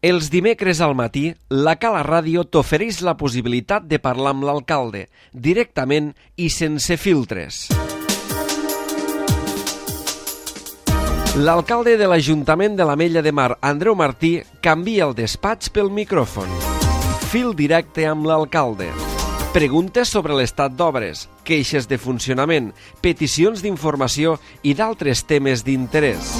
Els dimecres al matí, la Cala Ràdio t'ofereix la possibilitat de parlar amb l'alcalde, directament i sense filtres. L'alcalde de l'Ajuntament de l'Ametlla de Mar, Andreu Martí, canvia el despatx pel micròfon. Fil directe amb l'alcalde. Preguntes sobre l'estat d'obres, queixes de funcionament, peticions d'informació i d'altres temes d'interès.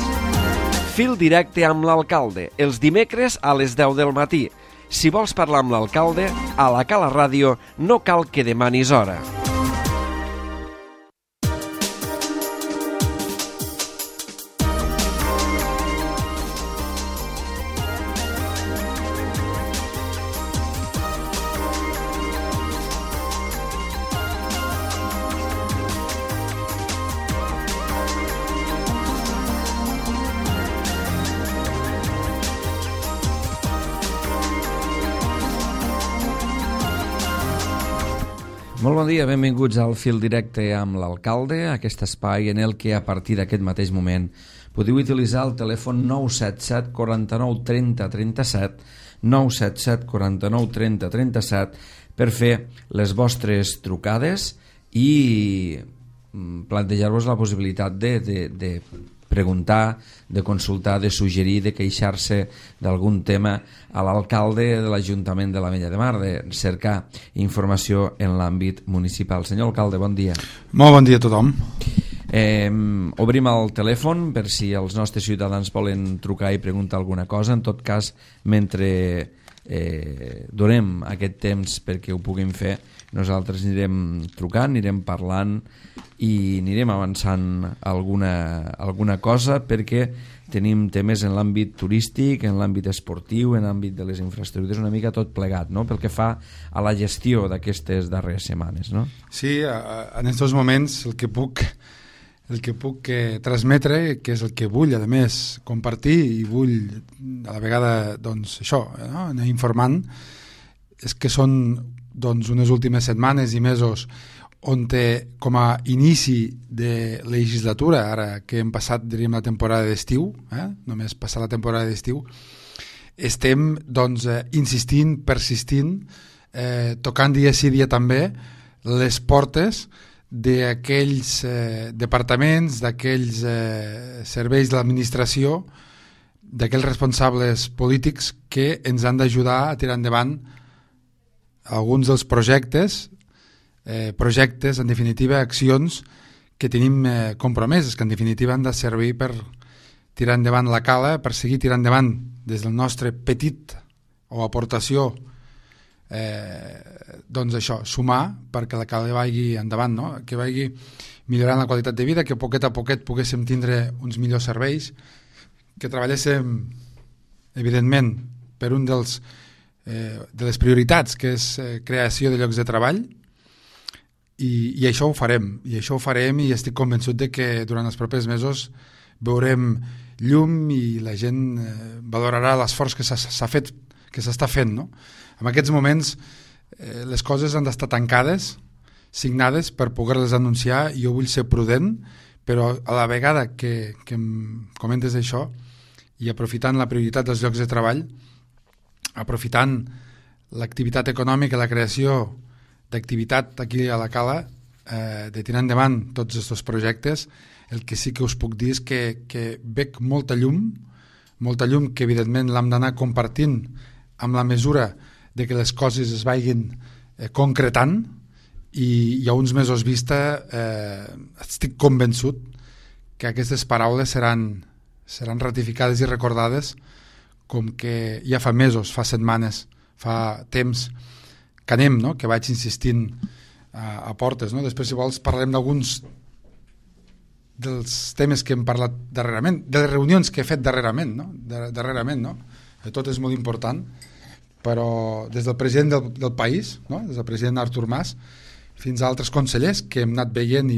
Fil directe amb l'alcalde, els dimecres a les 10 del matí. Si vols parlar amb l'alcalde, a la Cala Ràdio no cal que demanis hora. Molt bon dia, benvinguts al Fil Directe amb l'alcalde, aquest espai en el que a partir d'aquest mateix moment podeu utilitzar el telèfon 977 49 30 37, 977 49 30 37 per fer les vostres trucades i plantejar-vos la possibilitat de preguntar, de consultar, de suggerir, de queixar-se d'algun tema a l'alcalde de l'Ajuntament de l'Ametlla de Mar, de cercar informació en l'àmbit municipal. Senyor alcalde, bon dia. Molt bon dia a tothom. Obrim el telèfon per si els nostres ciutadans volen trucar i preguntar alguna cosa. En tot cas, mentre donem aquest temps perquè ho puguin fer, nosaltres anirem trucant, anirem parlant i anirem avançant alguna cosa, perquè tenim temes en l'àmbit turístic, en l'àmbit esportiu, en l'àmbit de les infraestructures, una mica tot plegat, no? Pel que fa a la gestió d'aquestes darreres setmanes, no? Sí, en aquests moments el que puc transmetre, que és el que vull, a més, compartir i vull a la vegada, doncs, això, no? Anar informant, és que són doncs, unes últimes setmanes i mesos on com a inici de legislatura, ara que hem passat, diríem, la temporada d'estiu, només passar la temporada d'estiu, estem doncs, insistint, persistint, tocant dia sí dia també les portes d'aquells departaments, d'aquells serveis de l'administració, d'aquells responsables polítics que ens han d'ajudar a tirar endavant alguns dels projectes, en definitiva, accions que tenim compromeses, que en definitiva han de servir per tirar endavant la cala, per seguir tirant endavant des del nostre petit o aportació, doncs això, sumar perquè la cala vagi endavant, no? Que vagi millorant la qualitat de vida, que poquet a poquet poguéssim tindre uns millors serveis, que treballéssim, evidentment, per un de les prioritats, que és creació de llocs de treball, i això ho farem, i estic convençut de que durant els propers mesos veurem llum i la gent valorarà l'esforç que s'ha fet, que s'està fent, no? En aquests moments les coses han d'estar tancades, signades per poder-les anunciar, i jo vull ser prudent, però a la vegada que em comentes això, i aprofitant la prioritat dels llocs de treball, aprofitant l'activitat econòmica, la creació d'activitat aquí a la Cala, de tirar endavant tots aquests projectes, el que sí que us puc dir és que veig molta llum que evidentment l'hem d'anar compartint amb la mesura de que les coses es vagin concretant, i a uns mesos vista estic convençut que aquestes paraules seran ratificades i recordades, com que ja fa mesos, fa setmanes, fa temps que anem, no? Que vaig insistint a portes, no? Després, si vols, parlarem d'alguns dels temes que hem parlat darrerament, de les reunions que he fet darrerament, no? Tot és molt important, però des del president del país, no? Des del president Artur Mas, fins a altres consellers que hem anat veient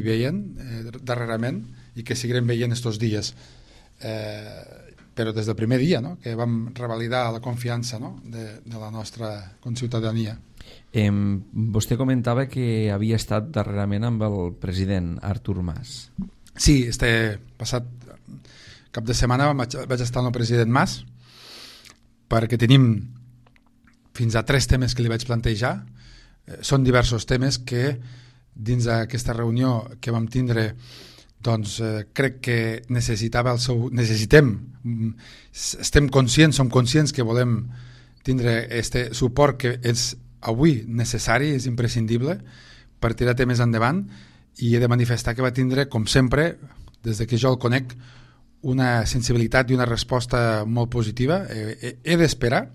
darrerament, i que seguirem veient estos dies, però des del primer dia, no? Que vam revalidar la confiança, no? de la nostra conciutadania. Vostè comentava que havia estat darrerament amb el president Artur Mas. Sí, passat cap de setmana vaig estar amb el president Mas, perquè tenim fins a 3 temes que li vaig plantejar. Són diversos temes que dins d'aquesta reunió que vam tindre doncs crec que necessitem, estem conscients, som conscients que volem tindre este suport que és avui necessari, és imprescindible per tirar temes endavant, i he de manifestar que va tindre, com sempre, des que jo el conec, una sensibilitat i una resposta molt positiva. He d'esperar,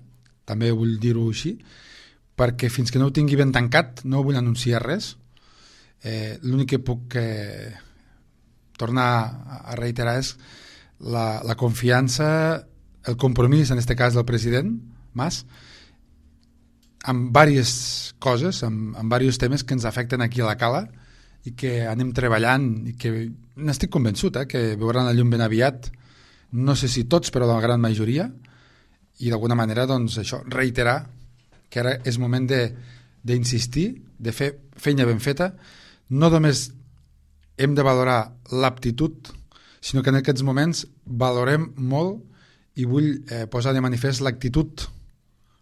també vull dir-ho així, perquè fins que no ho tingui ben tancat no vull anunciar res. L'únic que puc tornar a reiterar és la confiança, el compromís, en aquest cas del president Mas, amb diverses coses, amb diversos temes que ens afecten aquí a la Cala i que anem treballant i que n'estic convençut que veuran la llum ben aviat, no sé si tots, però la gran majoria, i d'alguna manera doncs, això, reiterar que ara és moment d'insistir, de fer feina ben feta. No només hem de valorar l'aptitud, sinó que en aquests moments valorem molt, i vull posar de manifest l'actitud.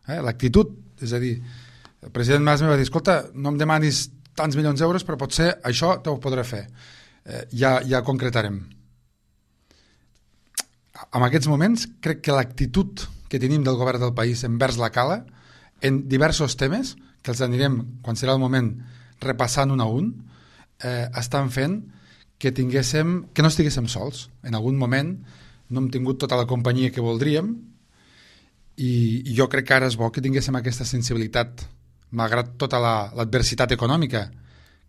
L'actitud, és a dir, el president Mas em va dir, escolta, no em demanis tants milions d'euros, però potser això t'ho podré fer. Ja concretarem. En aquests moments crec que l'actitud que tenim del govern del país envers la Cala, en diversos temes, que els anirem, quan serà el moment, repassant un a un, estan fent que no estiguéssim sols. En algun moment no hem tingut tota la companyia que voldríem, i jo crec que ara és bo que tinguéssim aquesta sensibilitat, malgrat tota l'adversitat econòmica,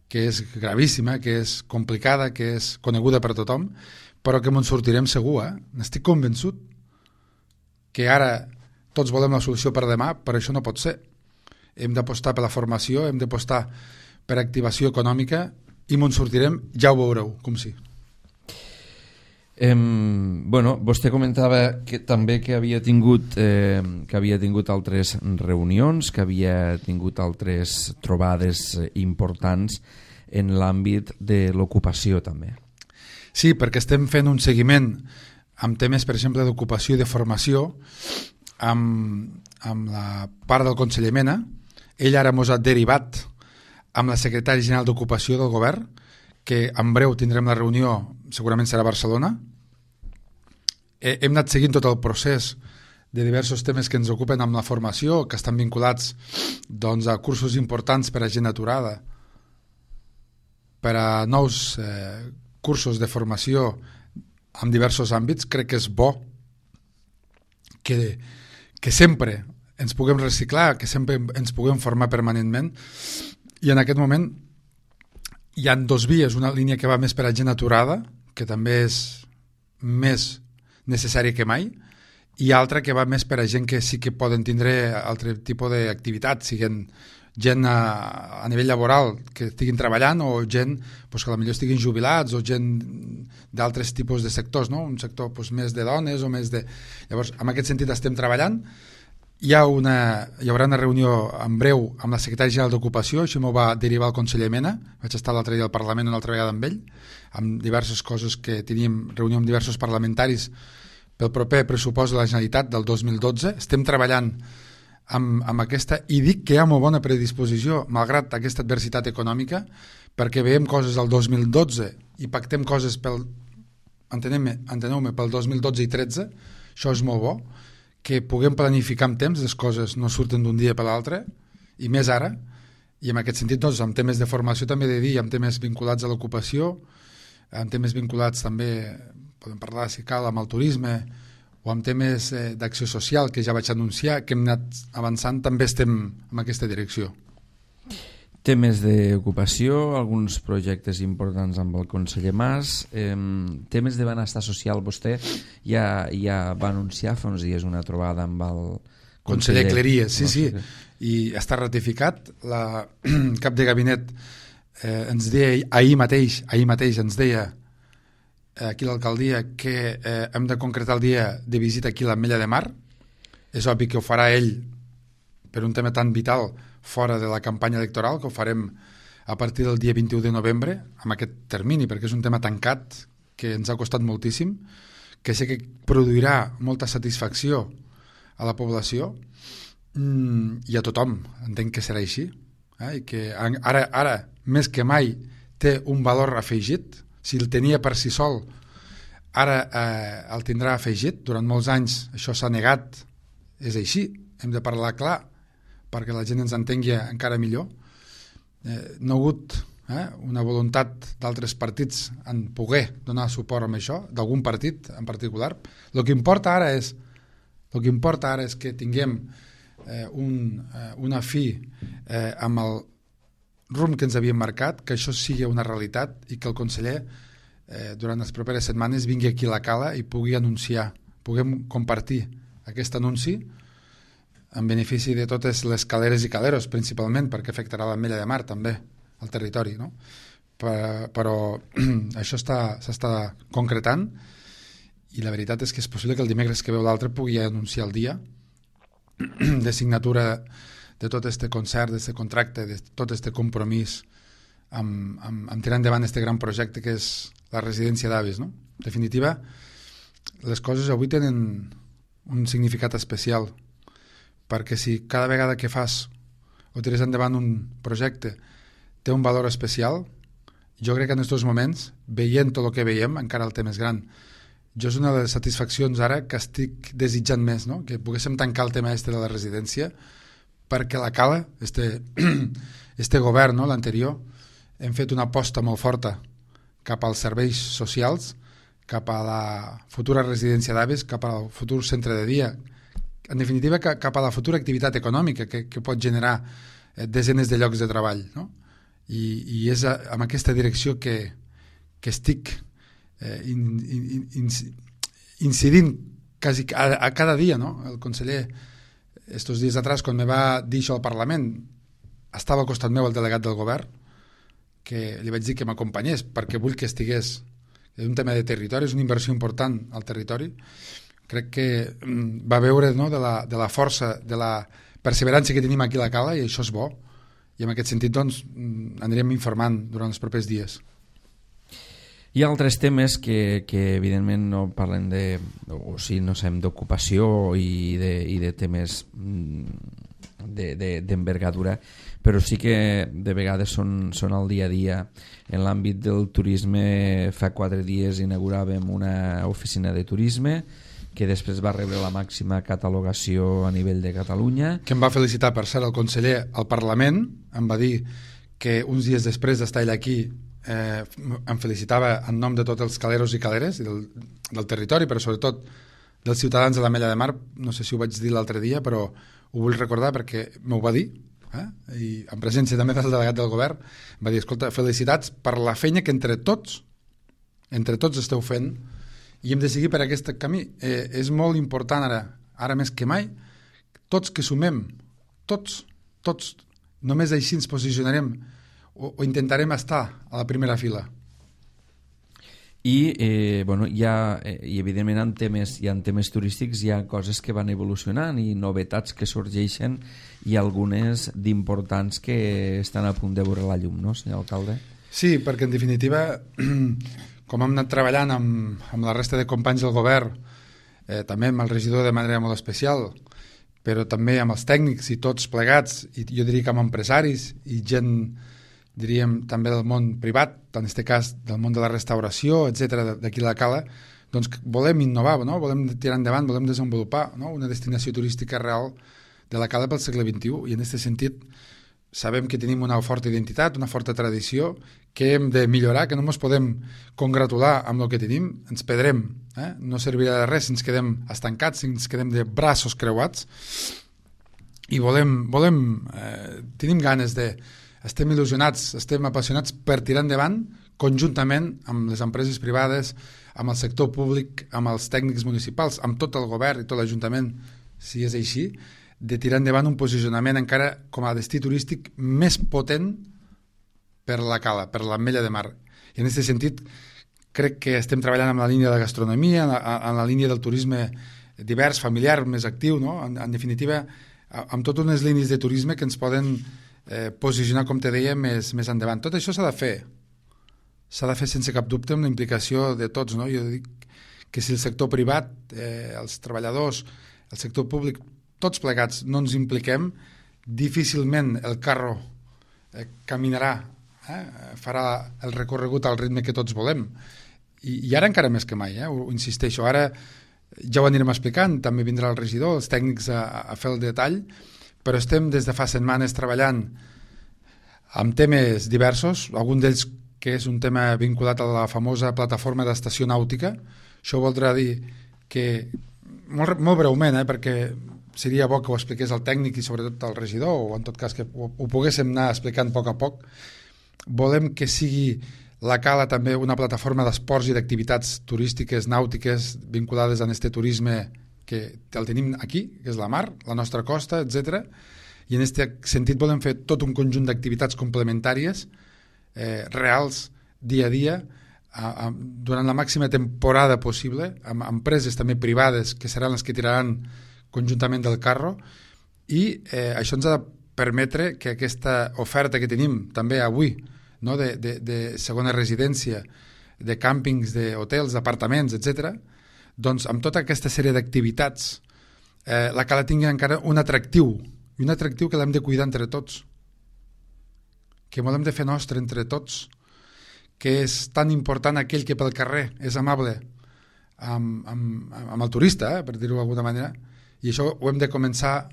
que és gravíssima, que és complicada, que és coneguda per tothom, però que ens sortirem segur. N'estic convençut que ara tots volem la solució per demà, però això no pot ser. Hem d'apostar per la formació, hem d'apostar per activació econòmica, i ens sortirem, ja ho veureu, com sí. Vostè comentava que també que havia tingut altres reunions, que havia tingut altres trobades importants en l'àmbit de l'ocupació també. Sí, perquè estem fent un seguiment amb temes, per exemple, d'ocupació i de formació amb la part del conseller Mena. Ell ara ens ha derivat amb la secretària general d'Ocupació del govern, que en breu tindrem la reunió, segurament serà a Barcelona. Hem anat seguint tot el procés de diversos temes que ens ocupen amb la formació, que estan vinculats doncs, a cursos importants per a gent aturada, per a nous cursos de formació en diversos àmbits. Crec que és bo que sempre ens puguem reciclar, que sempre ens puguem formar permanentment, i en aquest moment hi ha 2 vies, una línia que va més per a gent aturada, que també és més necessària que mai, i altra que va més per a gent que sí que poden tindre altre tipus d'activitat, siguin gent a nivell laboral que estiguin treballant, o gent pues, que potser estiguin jubilats, o gent d'altres tipus de sectors, no? Un sector pues, més de dones o més de... Llavors, en aquest sentit estem treballant. Hi haurà una reunió en breu amb la secretària general d'Ocupació, això m'ho va derivar el conseller Mena, vaig estar l'altre dia al Parlament una altra vegada amb ell, amb diverses coses que teníem, reunió amb diversos parlamentaris pel proper pressupost de la Generalitat del 2012. Estem treballant amb aquesta, i dic que hi ha molt bona predisposició, malgrat aquesta adversitat econòmica, perquè veiem coses del 2012 i pactem coses enteneu-me, pel 2012 i 13, això és molt bo, que puguem planificar amb temps, les coses no surten d'un dia per l'altre, i més ara, i en aquest sentit, doncs, amb temes de formació també he de dir, amb temes vinculats a l'ocupació, amb temes vinculats també, podem parlar, si cal, amb el turisme, o amb temes d'acció social, que ja vaig anunciar, que hem anat avançant, també estem en aquesta direcció. Temes d'ocupació, alguns projectes importants amb el conseller Mas, temes de benestar social. Vostè ja va anunciar fa uns dies una trobada amb el conseller Cleries, sí, i està ratificat. La cap de gabinet ens deia ahir mateix ens deia aquí l'alcaldia que hem de concretar el dia de visita aquí a l'Ametlla de Mar. És obvi que ho farà ell per un tema tan vital fora de la campanya electoral, que ho farem a partir del dia 21 de novembre, amb aquest termini, perquè és un tema tancat que ens ha costat moltíssim, que sé que produirà molta satisfacció a la població i a tothom. Entenc que serà així, i que ara més que mai té un valor afegit. Si el tenia per si sol, ara el tindrà afegit. Durant molts anys això s'ha negat, és així, hem de parlar clar perquè la gent ens entengui encara millor. No ha hagut una voluntat d'altres partits en poder donar suport a això, d'algun partit en particular. El que importa ara és que tinguem una fi amb el rumb que ens havíem marcat, que això sigui una realitat i que el conseller durant les properes setmanes vingui aquí a la Cala i pugui anunciar, puguem compartir aquest anunci en benefici de totes les caleres i caleros, principalment, perquè afectarà l'Ametlla de Mar també, al territori, no? Però això s'està concretant i la veritat és que és possible que el dimecres que veu l'altre pugui anunciar el dia de signatura de tot este concert, d'aquest contracte, de tot este compromís amb tirar endavant este gran projecte que és la residència d'avis, no? En definitiva, les coses avui tenen un significat especial, perquè si cada vegada que fas o tires endavant un projecte té un valor especial, jo crec que en aquests moments, veient tot el que veiem, encara el té més gran. Jo és una de les satisfaccions ara que estic desitjant més, no? Que poguéssim tancar el tema de la residència, perquè la Cala, este govern, no? L'anterior, hem fet una aposta molt forta cap als serveis socials, cap a la futura residència d'avis, cap al futur centre de dia, en definitiva cap a la futura activitat econòmica que pot generar desenes de llocs de treball, no? I és amb aquesta direcció que estic incidint quasi a cada dia, no? El conseller, estos dies atrás, quan me va dir això al Parlament, estava al costat meu el delegat del govern, que li vaig dir que m'acompanyés perquè vull que estigués. És un tema de territori, és una inversió important al territori. Crec que va veure, no, de la força, de la perseverança que tenim aquí a la Cala, i això és bo. I en aquest sentit, doncs, anirem informant durant els propers dies. Hi ha altres temes que evidentment no parlen d'ocupació i de temes d'envergadura, però sí que de vegades són al dia a dia. En l'àmbit del turisme, fa 4 dies inauguràvem una oficina de turisme que després va rebre la màxima catalogació a nivell de Catalunya. Que em va felicitar, per cert, el conseller al Parlament, em va dir que uns dies després d'estar ell aquí em felicitava en nom de tots els caleros i caleres i del territori, però sobretot dels ciutadans de l'Ametlla de Mar. No sé si ho vaig dir l'altre dia, però ho vull recordar perquè m'ho va dir, i en presència també del delegat del govern. Em va dir, escolta, felicitats per la feina que entre tots esteu fent i hem de seguir per aquest camí. És molt important ara més que mai, tots que sumem, tots, només així ens posicionarem o intentarem estar a la primera fila. I evidentment en temes turístics hi ha coses que van evolucionant i novetats que sorgeixen i algunes d'importants que estan a punt de veure la llum, no, senyor alcalde? Sí, perquè en definitiva, com hem anat treballant amb la resta de companys del govern, també amb el regidor de manera molt especial, però també amb els tècnics i tots plegats, i jo diria que amb empresaris i gent, diríem, també del món privat, en aquest cas del món de la restauració, etc d'aquí a la Cala, doncs volem innovar, no? Volem tirar endavant, volem desenvolupar, no? Una destinació turística real de la Cala pel segle XXI, i en aquest sentit sabem que tenim una forta identitat, una forta tradició, que hem de millorar, que no ens podem congratular amb el que tenim, ens perdrem, no servirà de res si ens quedem estancats, si ens quedem de braços creuats, i tenim ganes de... Estem il·lusionats, estem apassionats per tirar endavant conjuntament amb les empreses privades, amb el sector públic, amb els tècnics municipals, amb tot el govern i tot l'Ajuntament, si és així, de tirar endavant un posicionament encara com a destí turístic més potent per la Cala, per l'Ametlla de Mar. I en aquest sentit crec que estem treballant amb la línia de la gastronomia, en la línia del turisme divers, familiar, més actiu, no? En definitiva, amb totes unes línies de turisme que ens poden posicionar, com te deia, més endavant. Tot això s'ha de fer sense cap dubte amb la implicació de tots, no? Jo dic que si el sector privat, els treballadors, el sector públic, tots plegats no ens impliquem, difícilment el carro caminarà, farà el recorregut al ritme que tots volem. I ara encara més que mai, ho insisteixo. Ara ja ho anirem explicant, també vindrà el regidor, els tècnics a fer el detall, però estem des de fa setmanes treballant amb temes diversos, algun d'ells que és un tema vinculat a la famosa plataforma d'estació nàutica. Això voldrà dir que, molt breument, perquè seria bo que ho expliqués el tècnic i sobretot el regidor, o en tot cas que ho poguéssim anar explicant a poc, volem que sigui la Cala també una plataforma d'esports i d'activitats turístiques, nàutiques, vinculades a aquest turisme que el tenim aquí, que és la mar, la nostra costa, etc. I en aquest sentit volem fer tot un conjunt d'activitats complementàries, reals, dia a dia, durant la màxima temporada possible, amb empreses també privades que seran les que tiraran conjuntament del carro, i això ens ha de permetre que aquesta oferta que tenim també avui, no, de segona residència, de càmpings, d'hotels, d'apartaments, etc., doncs amb tota aquesta sèrie d'activitats la Cala tingui encara un atractiu, i un atractiu que l'hem de cuidar entre tots, que l'hem de fer nostre entre tots, que és tan important aquell que pel carrer és amable amb el turista, per dir-ho d'alguna manera, i això ho hem de començar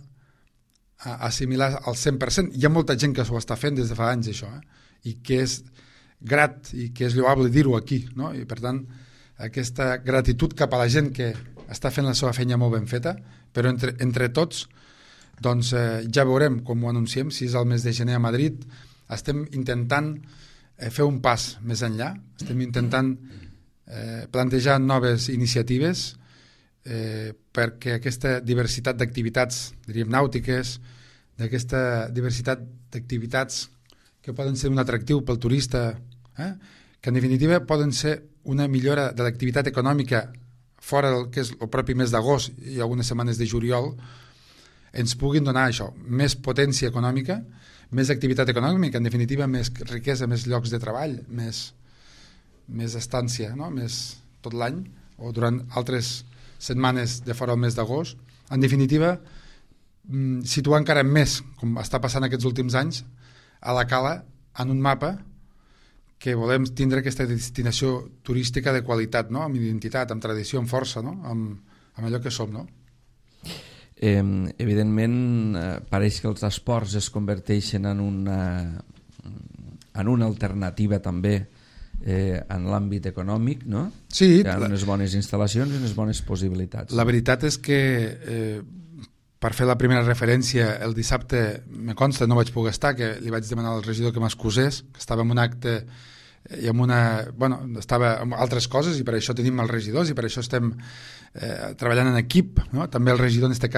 a assimilar al 100%. Hi ha molta gent que s'ho està fent des de fa anys, això, i que és grat i que és lloable dir-ho aquí, no? I per tant, aquesta gratitud cap a la gent que està fent la seva feina molt ben feta, però entre tots, doncs ja veurem com ho anunciem, si és el mes de gener a Madrid. Estem intentant fer un pas més enllà, estem intentant plantejar noves iniciatives perquè aquesta diversitat d'activitats, diríem nàutiques, d'aquesta diversitat d'activitats que poden ser un atractiu pel turista, que en definitiva poden ser una millora de l'activitat econòmica fora del que és el propi mes d'agost i algunes setmanes de juliol, ens puguin donar això, més potència econòmica, més activitat econòmica, en definitiva més riquesa, més llocs de treball, més estància, no? Més tot l'any, o durant altres setmanes de fora del mes d'agost. En definitiva, situar encara més, com està passant aquests últims anys, a la Cala en un mapa que volem tindre aquesta destinació turística de qualitat, no? Amb identitat, amb tradició, amb força, no? Amb allò que som, no? Evidentment, pareix que els esports es converteixen en una alternativa també en l'àmbit econòmic, no? Sí. Hi ha unes bones instal·lacions i unes bones possibilitats. La veritat és que, per fer la primera referència, el dissabte, me consta, no vaig poder estar, que li vaig demanar al regidor que m'excusés, que estava en un acte i estava amb altres coses, i per això tenim els regidors i per això estem treballant en equip, no? També el regidor, en este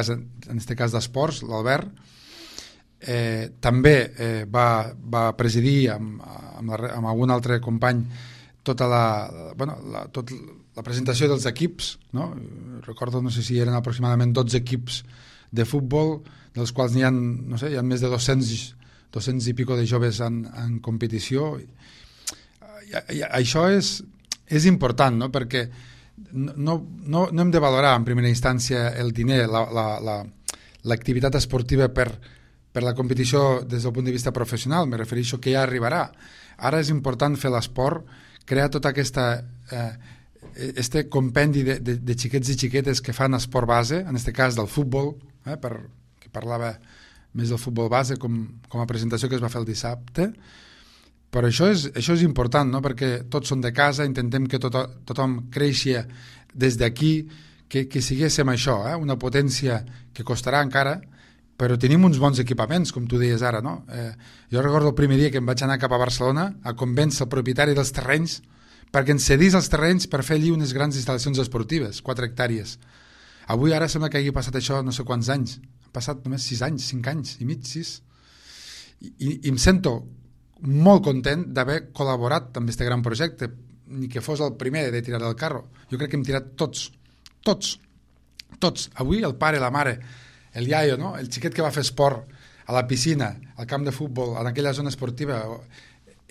cas d'esports, l'Albert, també va presidir amb algun altre company tota la presentació dels equips, no? Recordo, no sé si eren aproximadament 12 equips de futbol, dels quals n'hi ha, no sé, hi ha més de 200 i pico de joves en competició. I això és important, no? Perquè no hem de valorar en primera instància el diner, l'activitat esportiva per la competició des del punt de vista professional, me refereixo que ja arribarà. Ara és important fer l'esport, crear tota este compendi de xiquets i xiquetes que fan esport base, en aquest cas del futbol, que parlava més del futbol base com a presentació que es va fer el dissabte. Però això és important, no? Perquè tots són de casa, intentem que tothom creixi des d'aquí, que siguéssim això, una potència que costarà encara, però tenim uns bons equipaments, com tu deies ara, no? Jo recordo el primer dia que em vaig anar cap a Barcelona a convèncer el propietari dels terrenys perquè ens cedís els terrenys per fer allí unes grans instal·lacions esportives, 4 hectàrees. Avui ara sembla que hagi passat això no sé quants anys. Han passat només 6 anys, 5 anys i mig, 6. I em sento molt content d'haver col·laborat amb aquest gran projecte, ni que fos el primer de tirar del carro. Jo crec que hem tirat tots. Avui el pare, la mare, el iaio, no? El xiquet que va fer esport a la piscina, al camp de futbol, en aquella zona esportiva,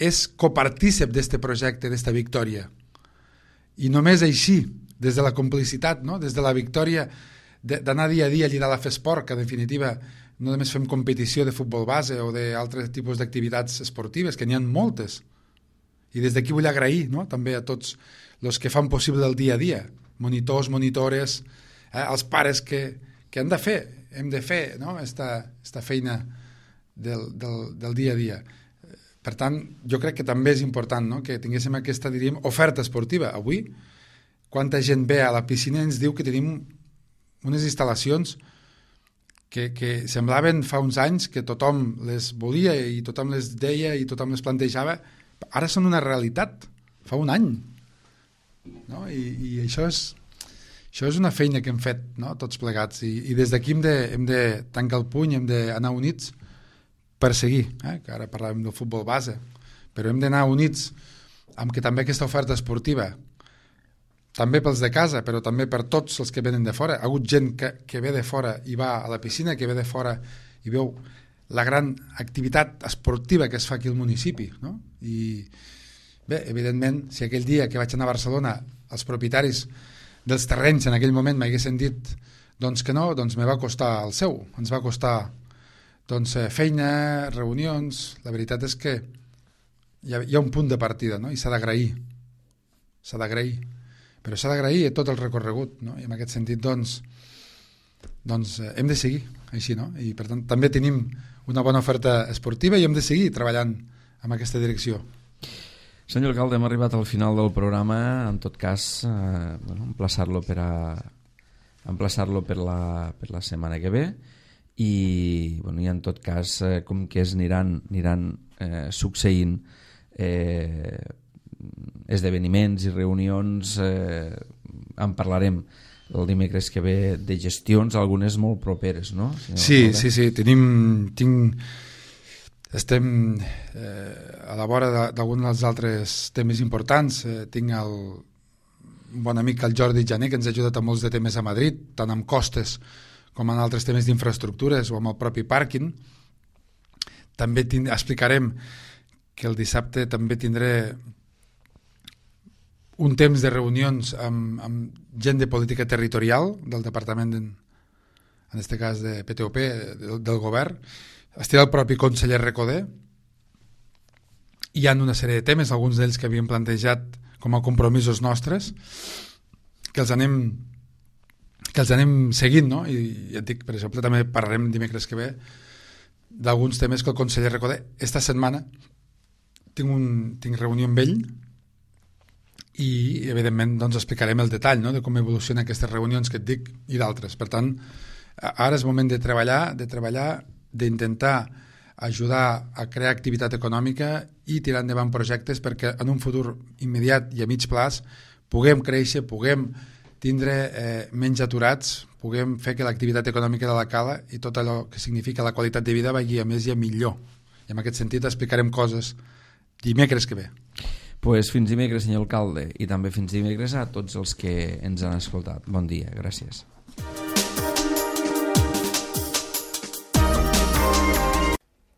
és copartícip d'este projecte, d'esta victòria. I només així, des de la complicitat, no? Des de la victòria d'anar dia a dia allà dalt a fer esport, que en definitiva no només fem competició de futbol base o d'altres tipus d'activitats esportives, que n'hi ha moltes. I des d'aquí vull agrair, no?, també a tots els que fan possible el dia a dia, monitors, monitores, els pares que hem de fer, no?, esta feina del dia a dia. Per tant, jo crec que també és important, no?, que tinguéssim aquesta, diríem, oferta esportiva. Avui, quanta gent ve a la piscina i ens diu que tenim unes instal·lacions que semblaven fa uns anys que tothom les volia i tothom les deia i tothom les plantejava. Ara són una realitat, fa un any. No? I això és una feina que hem fet, no?, tots plegats. I des d'aquí hem de tancar el puny, hem d'anar units per seguir, que ara parlàvem del futbol base, però hem d'anar units amb que també aquesta oferta esportiva, també pels de casa, però també per tots els que venen de fora. Ha hagut gent que ve de fora i va a la piscina, que ve de fora i veu la gran activitat esportiva que es fa aquí al municipi, no? I bé, evidentment, si aquell dia que vaig anar a Barcelona els propietaris dels terrenys en aquell moment m'haguessin dit doncs que no, doncs me va costar el seu, ens va costar doncs feina, reunions. La veritat és que hi ha un punt de partida, no?, i s'ha d'agrair, però s'ha d'agrair tot el recorregut, no?, i en aquest sentit doncs hem de seguir així, no?, i per tant també tenim una bona oferta esportiva i hem de seguir treballant en aquesta direcció. Senyor alcalde, hem arribat al final del programa. En tot cas, emplaçar-lo per la setmana que ve i en tot cas, com que aniran succeint esdeveniments i reunions, en parlarem el dimecres que ve de gestions, algunes molt properes, no? Sí, estem a la vora d'alguns dels altres temes importants. Tinc un bon amic, el Jordi Jané, que ens ha ajudat a molts de temes a Madrid, tant amb costes com en altres temes d'infraestructures o amb el propi pàrquing. També explicarem que el dissabte també tindré un temps de reunions amb gent de política territorial del departament, en aquest cas de PTOP, del govern. Estirà el propi conseller Recoder. Hi ha una sèrie de temes, alguns d'ells que havíem plantejat com a compromisos nostres, que els anem seguint, no? I ja et dic, per exemple, també parlarem dimecres que ve d'alguns temes que el conseller Recoder. Esta setmana tinc reunió amb ell i evidentment doncs explicarem el detall, no?, de com evolucionen aquestes reunions que et dic i d'altres. Per tant, ara és moment de treballar, d'intentar ajudar a crear activitat econòmica i tirar endavant projectes perquè en un futur immediat i a mig plaç puguem créixer, puguem tindre menys aturats, puguem fer que l'activitat econòmica de la Cala i tot allò que significa la qualitat de vida vagi a més i a millor. I en aquest sentit explicarem coses dimecres que ve. Pues fins dimecres, senyor alcalde, i també fins dimecres a tots els que ens han escoltat. Bon dia, gràcies.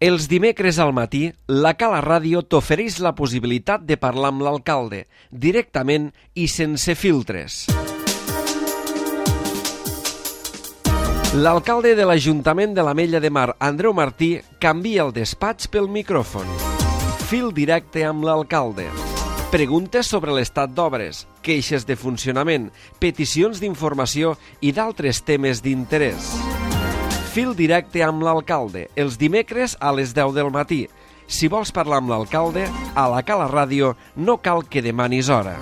Els dimecres al matí, la Cala Ràdio t'ofereix la possibilitat de parlar amb l'alcalde, directament i sense filtres. L'alcalde de l'Ajuntament de l'Ametlla de Mar, Andreu Martí, canvia el despatx pel micròfon. Fil directe amb l'alcalde. Preguntes sobre l'estat d'obres, queixes de funcionament, peticions d'informació i d'altres temes d'interès. Fil directe amb l'alcalde, els dimecres a les 10 del matí. Si vols parlar amb l'alcalde, a la Cala Ràdio no cal que demanis hora.